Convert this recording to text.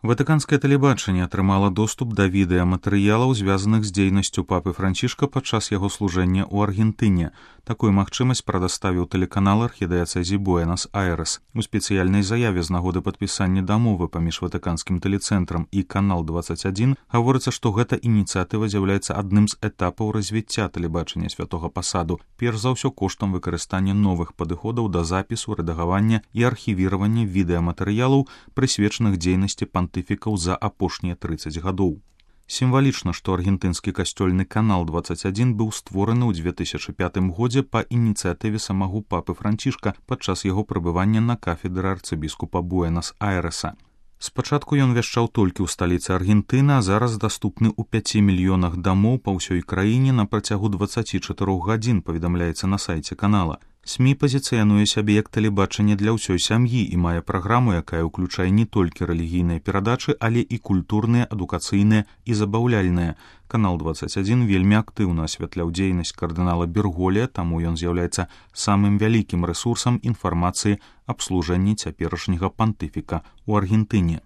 Ватыканскае тэлебачанне атрымала доступ да відэаматэрыялаў, звязаных з дзейнасцю папы Францішка падчас яго служэння ў Аргентыне. Такую магчымасць прадаставіў тэлеканал архідыяцэзі Буэнас-Айрэс. У спецыяльнай заяве з нагоды падпісання дамовы паміж Ватыканскім тэлецэнтрам і канал 21 гаворыцца, што гэта ініцыятыва з'яўляецца адным з этапаў развіцця тэлебачання святога пасаду, перш за ўсё коштам выкарыстання новых падыходаў да запісу, рэдагавання і архівіравання відэаматэрыялаў, прысвечаных дзейнасці пантыфікаў за апошнія 30 гадоў. Сімвалічна, што аргентынскі касцёльны канал 21 быў створаны ў 2005 годзе па ініцыятыве самого папы Францішка падчас яго прабывання на кафедры арцыбіскупа Буэнас-Айрэса. Спачатку ён вяшчаў толькі ў сталіцы Аргентыны, а зараз даступны ў 5 мільёнах дамоў па ўсёй краіне на працягу 24 гадзін, паведамляецца на сайце канала. СМІ пазіцыянуе сябе як тэлебачанне для ўсёй сям'і і мае праграму, якая ўключае не толькі рэлігійныя перадачы, але і культурныя, адукацыйныя і забаўляльныя. Канал 21 вельмі актыўна асвятляў дзейнасць кардынала Берголія, таму ён з'яўляецца самым вялікім рэсурсам інфармацыі аб служэнні цяперашняга пантыфіка ў Аргентыне.